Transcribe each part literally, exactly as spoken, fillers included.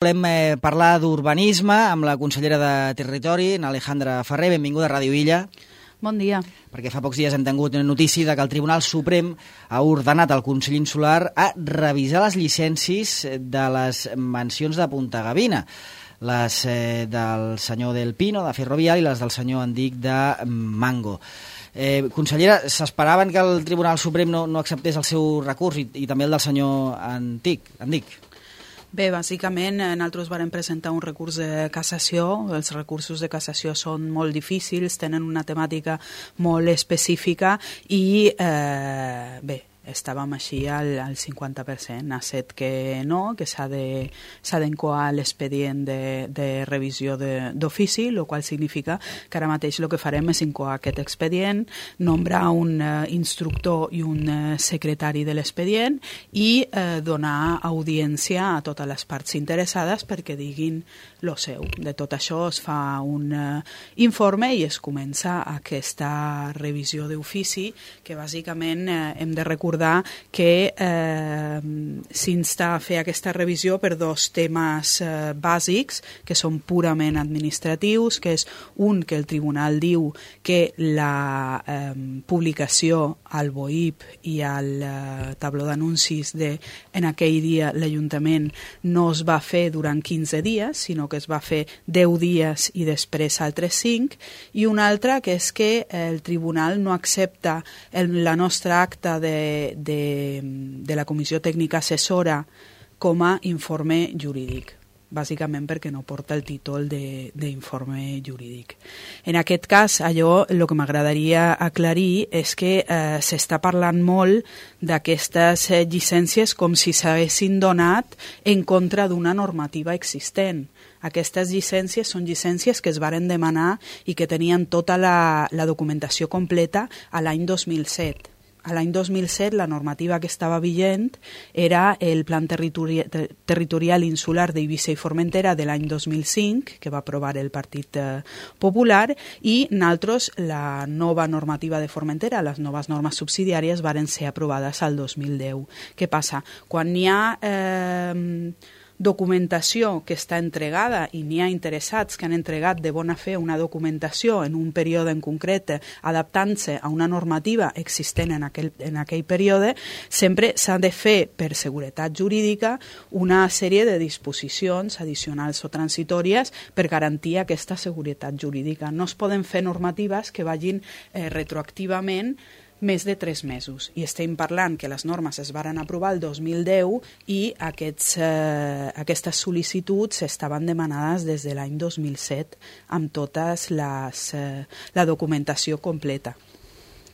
Volem eh, parlar d'urbanisme amb la consellera de Territori, Alejandra Ferrer. Benvinguda a Ràdio Illa. Bon dia. Perquè fa pocs dies hem tingut notícia de que el Tribunal Suprem ha ordenat al Consell Insular a revisar les llicències de les mansions de Punta Gavina, les eh, del senyor Del Pino, de Ferrovial, i les del senyor Andic, de Mango. Eh, consellera, s'esperaven que el Tribunal Suprem no, no acceptés el seu recurs i, i també el del senyor Andic, Andic. Bé, bàsicament nosaltres vam presentar un recurs de cassació. Els recursos de cassació són molt difícils, tenen una temàtica molt específica i, eh, bé, estàvem així al, al cinquanta per cent. Ha set que no, que s'ha de, s'ha d'encoar l'expedient de, de revisió d'ofici, el qual significa que ara mateix el que farem és incoar aquest expedient, nombrar un uh, instructor i un uh, secretari de l'expedient i uh, donar audiència a totes les parts interessades perquè diguin lo seu. De tot això es fa un uh, informe i es comença aquesta revisió d'ofici que bàsicament uh, hem de recordar que eh, s'insta a fer aquesta revisió per dos temes eh, bàsics que són purament administratius, que és un, que el tribunal diu que la eh, publicació al B O I P i al eh, tabló d'anuncis de en aquell dia l'Ajuntament no es va fer durant quinze dies, sinó que es va fer deu dies i després altres cinc, i un altre que és que el tribunal no accepta el, la nostra acta de De, de la Comissió Tècnica Assessora com a informe jurídic, bàsicament perquè no porta el títol d'informe jurídic. En aquest cas, allò el que m'agradaria aclarir és que eh, s'està parlant molt d'aquestes eh, llicències com si s'haguessin donat en contra d'una normativa existent. Aquestes llicències són llicències que es varen demanar i que tenien tota la, la documentació completa a l'any dos mil set. A l'any dos mil set la normativa que estava vigent era el Plan Territori Territorial Insular d'Eivissa i Formentera de l'any dos mil cinc, que va aprovar el Partit eh, Popular, i nosaltres la nova normativa de Formentera, les noves normes subsidiàries, varen ser aprovades al dos mil deu. Què passa? Quan n'hi ha Eh, documentació que està entregada i n'hi ha interessats que han entregat de bona fe una documentació en un període en concret adaptant-se a una normativa existent en aquell, en aquell període, sempre s'ha de fer per seguretat jurídica una sèrie de disposicions addicionals o transitòries per garantir aquesta seguretat jurídica. No es poden fer normatives que vagin eh, retroactivament més de tres mesos. I estem parlant que les normes es varen aprovar el dos mil deu i aquests, eh, aquestes sol·licituds estaven demanades des de l'any dos mil set amb totes les, eh, la documentació completa.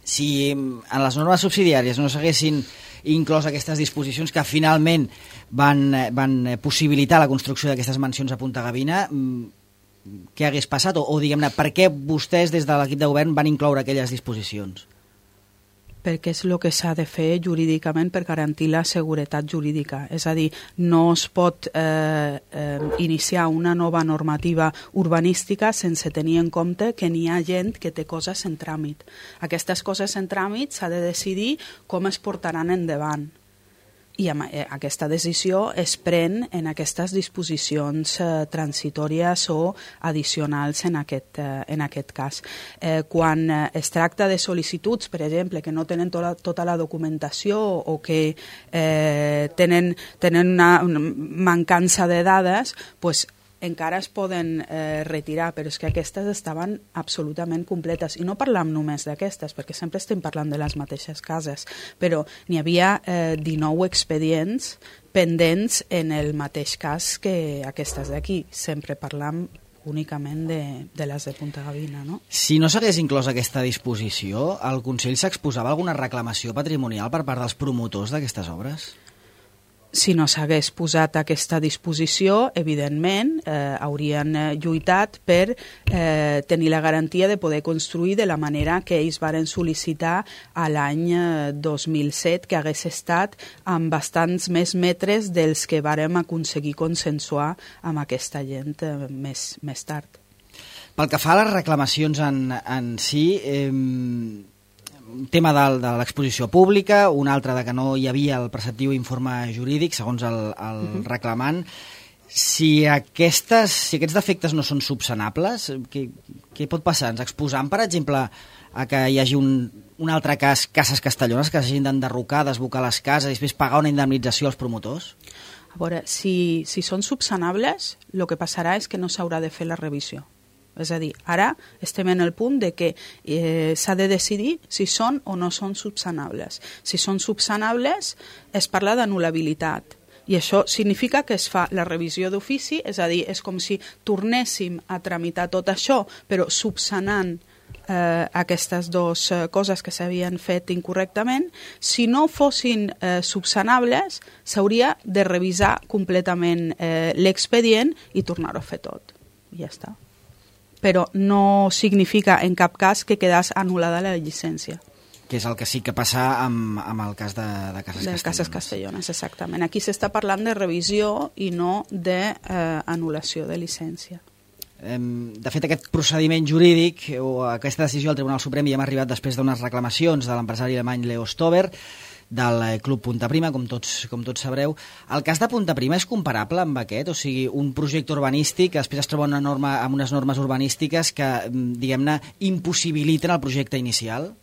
Si en les normes subsidiàries no s'haguessin inclòs aquestes disposicions que finalment van, van possibilitar la construcció d'aquestes mansions a Punta Gavina, què hagués passat? O, o diguem-ne, per què vostès des de l'equip de govern van incloure aquelles disposicions? Perquè és el que s'ha de fer jurídicament per garantir la seguretat jurídica. És a dir, no es pot eh, eh, iniciar una nova normativa urbanística sense tenir en compte que n'hi ha gent que té coses en tràmit. Aquestes coses en tràmit s'ha de decidir com es portaran endavant. I aquesta decisió es pren en aquestes disposicions eh, transitòries o addicionals en aquest, eh, en aquest cas. Eh, quan es tracta de sol·licituds, per exemple, que no tenen tota, tota la documentació o que eh, tenen, tenen una, una mancança de dades, doncs encara es poden eh, retirar, però és que aquestes estaven absolutament completes. I no parlam només d'aquestes, perquè sempre estem parlant de les mateixes cases, però n'hi havia eh, dinou expedients pendents en el mateix cas que aquestes d'aquí. Sempre parlam únicament de, de les de Punta Gavina, no? Si no s'hagués inclòs aquesta disposició, el Consell s'exposava alguna reclamació patrimonial per part dels promotors d'aquestes obres? Si no s'hagués posat aquesta disposició, evidentment, eh, haurien eh, lluitat per eh, tenir la garantia de poder construir de la manera que ells varen sol·licitar a l'any eh, dos mil set, que hagués estat amb bastants més metres dels que vàrem aconseguir consensuar amb aquesta gent eh, més, més tard. Pel que fa a les reclamacions en, en si, eh, un tema de, de l'exposició pública, un altre de que no hi havia el preceptiu informe jurídic, segons el, el uh-huh. reclamant. Si, aquestes, si aquests defectes no són subsanables, què, què pot passar? Ens exposam, per exemple, a que hi hagi un, un altre cas, Cases Castellones, que s'hagin d'enderrocar, desbocar les cases i després pagar una indemnització als promotors? A veure, si, si són subsanables, el que passarà és que no s'haurà de fer la revisió. És a dir, ara estem en el punt de que eh, s'ha de decidir si són o no són subsanables. Si són subsanables, es parla d'anul·labilitat. I això significa que es fa la revisió d'ofici, és a dir, és com si tornéssim a tramitar tot això, però subsanant eh, aquestes dues eh, coses que s'havien fet incorrectament. Si no fossin eh, subsanables, s'hauria de revisar completament eh, l'expedient i tornar-ho a fer tot. I ja està. Però no significa en cap cas que quedàs anul·lada la llicència. Que és el que sí que passa amb, amb el cas de, de Cases de Castellones. De Cases Castellones, exactament. Aquí s'està parlant de revisió i no d'anul·lació de, eh, de llicència. De fet, aquest procediment jurídic o aquesta decisió del Tribunal Suprem ja hem arribat després d'unes reclamacions de l'empresari alemany Leo Stover, del Club Punta Prima, com tots, com tots sabreu. El cas de Punta Prima és comparable amb aquest? O sigui, un projecte urbanístic que després es troba una norma, amb unes normes urbanístiques que, diguem-ne, impossibiliten el projecte inicial?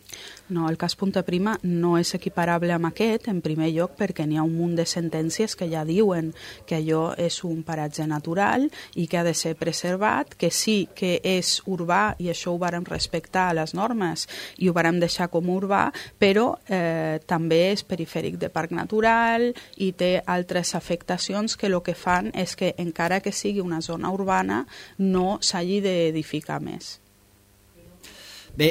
No, el cas Punta Prima no és equiparable amb aquest, en primer lloc perquè n'hi ha un munt de sentències que ja diuen que allò és un paratge natural i que ha de ser preservat, que sí que és urbà i això ho vàrem respectar a les normes i ho vàrem deixar com urbà, però eh, també és perifèric de parc natural i té altres afectacions que el que fan és que encara que sigui una zona urbana no s'hagi d'edificar més. Bé,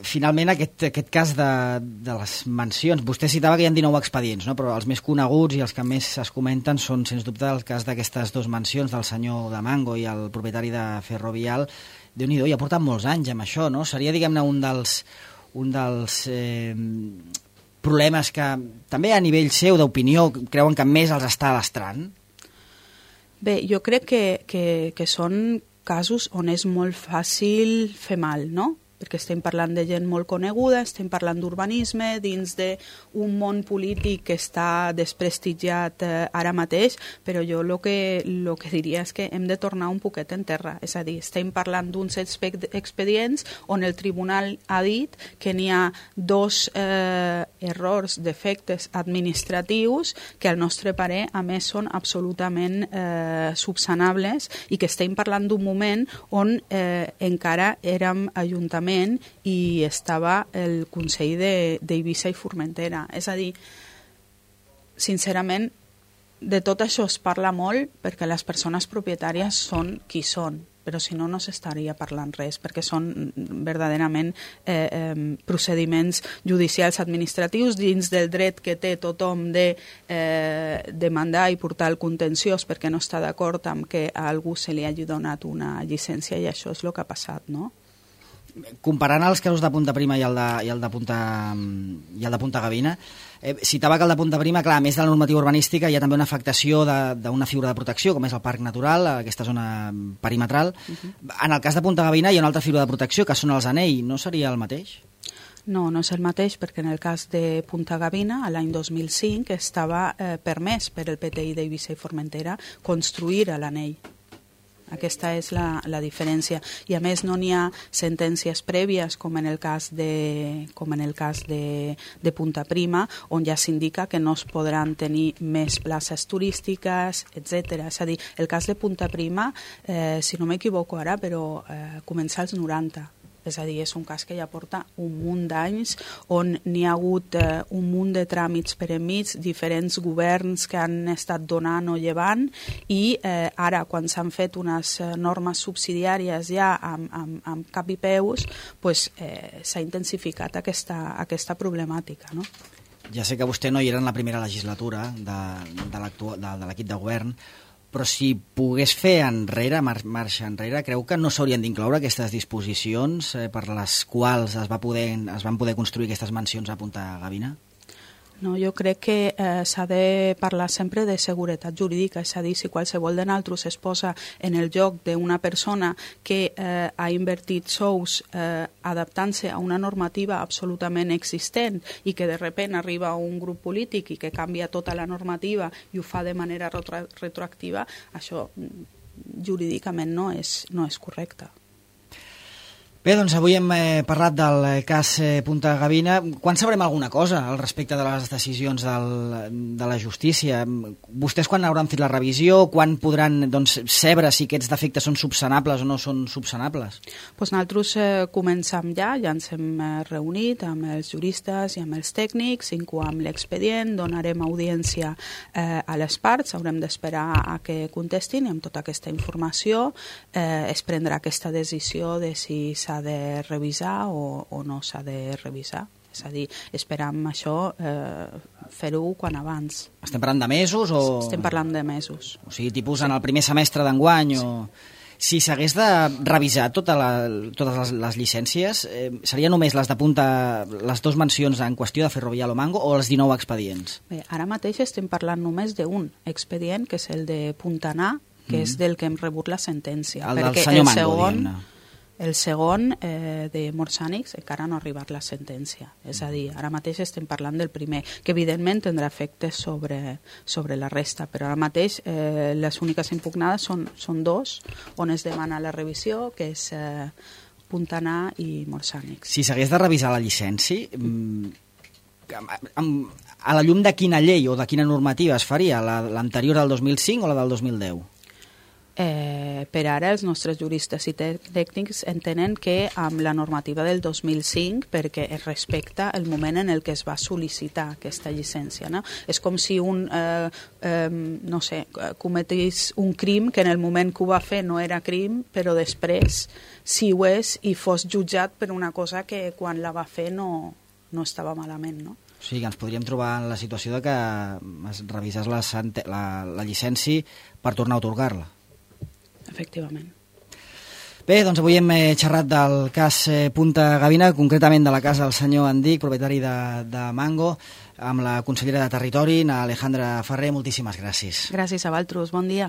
finalment aquest, aquest cas de, de les mansions, vostè citava que hi ha dinou expedients, no? Però els més coneguts i els que més es comenten són, sens dubte, el cas d'aquestes dues mansions del senyor de Mango i el propietari de Ferrovial. Déu-n'hi-do, ja porten molts anys amb això, no? Seria, diguem-ne, un dels, un dels eh, problemes que també a nivell seu d'opinió creuen que més els està lastrant? Bé, jo crec que, que, que són casos on és molt fàcil fer mal, no? Perquè estem parlant de gent molt coneguda, estem parlant d'urbanisme dins d'un món polític que està desprestigiat eh, ara mateix, però jo el que, lo que diria és que hem de tornar un poquet en terra. És a dir, estem parlant d'uns expedients on el tribunal ha dit que n'hi ha dos eh, errors, defectes administratius que al nostre parer, a més, són absolutament eh, subsanables i que estem parlant d'un moment on eh, encara érem ajuntaments i estava el Consell d'Eivissa i Formentera. És a dir, sincerament, de tot això es parla molt perquè les persones propietàries són qui són, però si no, no s'estaria parlant res, perquè són verdaderament eh, eh, procediments judicials administratius dins del dret que té tothom de eh, demandar i portar el contenciós perquè no està d'acord amb que a algú se li hagi donat una llicència i això és el que ha passat, no? Comparant els casos de Punta Prima i el de, i el de, Punta, i el de Punta Gavina, eh, citava que el de Punta Prima, clar, a més de la normativa urbanística, hi ha també una afectació d'una figura de protecció, com és el parc natural, aquesta zona perimetral. Uh-huh. En el cas de Punta Gavina hi ha una altra figura de protecció, que són els anells. No seria el mateix? No, no és el mateix, perquè en el cas de Punta Gavina, a l'any dos mil cinc, estava eh, permès per el P T I d'Eivissa i Formentera construir a l'anell. Aquesta és la, la diferència. I a més no n'hi ha sentències prèvies com en el cas de, com en el cas de, de Punta Prima, on ja s'indica que no es podran tenir més places turístiques, etcètera. És a dir, el cas de Punta Prima, eh, si no m'equivoco ara, però eh, comença als noranta. És a dir, és un cas que ja porta un munt d'anys on n'hi ha hagut eh, un munt de tràmits per enmig, diferents governs que han estat donant o llevant i eh, ara, quan s'han fet unes eh, normes subsidiàries ja amb, amb, amb cap i peus, pues, eh, s'ha intensificat aquesta, aquesta problemàtica, no? Ja sé que vostè no hi era en la primera legislatura de, de l'equip de govern, però si pogués fer enrere, mar marxa enrere, creu que no s'haurien d'incloure aquestes disposicions eh, per les quals es, va poder, es van poder construir aquestes mansions a Punta Gavina? No, jo crec que eh, s'ha de parlar sempre de seguretat jurídica, és a dir, si qualsevol de nosaltres es posa en el lloc d'una persona que eh, ha invertit sous eh, adaptant-se a una normativa absolutament existent i que de repent arriba un grup polític i que canvia tota la normativa i ho fa de manera retro retroactiva, això jurídicament no és, no és correcte. Bé, doncs avui hem eh, parlat del cas eh, Punta Gavina. Quan sabrem alguna cosa al respecte de les decisions del, de la justícia? Vostès quan hauran fet la revisió? Quan podran doncs, saber si aquests defectes són subsanables o no són subsanables? Pues nosaltres eh, començam ja, ja ens hem eh, reunit amb els juristes i amb els tècnics, incoam l'expedient, donarem audiència eh, a les parts, haurem d'esperar a que contestin i amb tota aquesta informació eh, es prendrà aquesta decisió de si s'ha de revisar o, o no s'ha de revisar. És a dir, esperam això eh, fer-ho quan abans. Estem parlant de mesos? O... Estem parlant de mesos. O sigui, tipus en el primer semestre d'enguany o... Si s'hagués de revisar tota la, totes les, les llicències, eh, seria només les de punta, les dues mencions en qüestió de Ferrovial o Mango, o els dinou expedients? Bé, ara mateix estem parlant només d'un expedient, que és el de Puntanar, que mm. és del que hem rebut la sentència. El del senyor Mango, segon, diguem-ne. El segon, eh, de Morsànics, encara no ha arribat la sentència. És a dir, ara mateix estem parlant del primer, que evidentment tindrà efectes sobre, sobre la resta, però ara mateix eh, les úniques impugnades són, són dos, on es demana la revisió, que és eh, Puntanar i Morsànics. Si s'hagués de revisar la llicència, a la llum de quina llei o de quina normativa es faria? L'anterior del dos mil cinc o la del dos mil deu? Eh, per ara els nostres juristes i tècnics entenen que amb la normativa del dos mil cinc, perquè es respecta el moment en el que es va sol·licitar aquesta llicència, no? És com si un eh, eh, no sé, cometís un crim que en el moment que ho va fer no era crim, però després sí ho és i fos jutjat per una cosa que quan la va fer no, no estava malament, no? O sigui que ens podríem trobar en la situació de que es revisés la, la, la llicència per tornar a atorgar-la. Efectivament. Bé, doncs avui hem xerrat del cas Punta Gavina, concretament de la casa del senyor Andic, propietari de, de Mango, amb la consellera de Territori, Alejandra Ferrer. Moltíssimes gràcies. Gràcies a vosaltres, bon dia.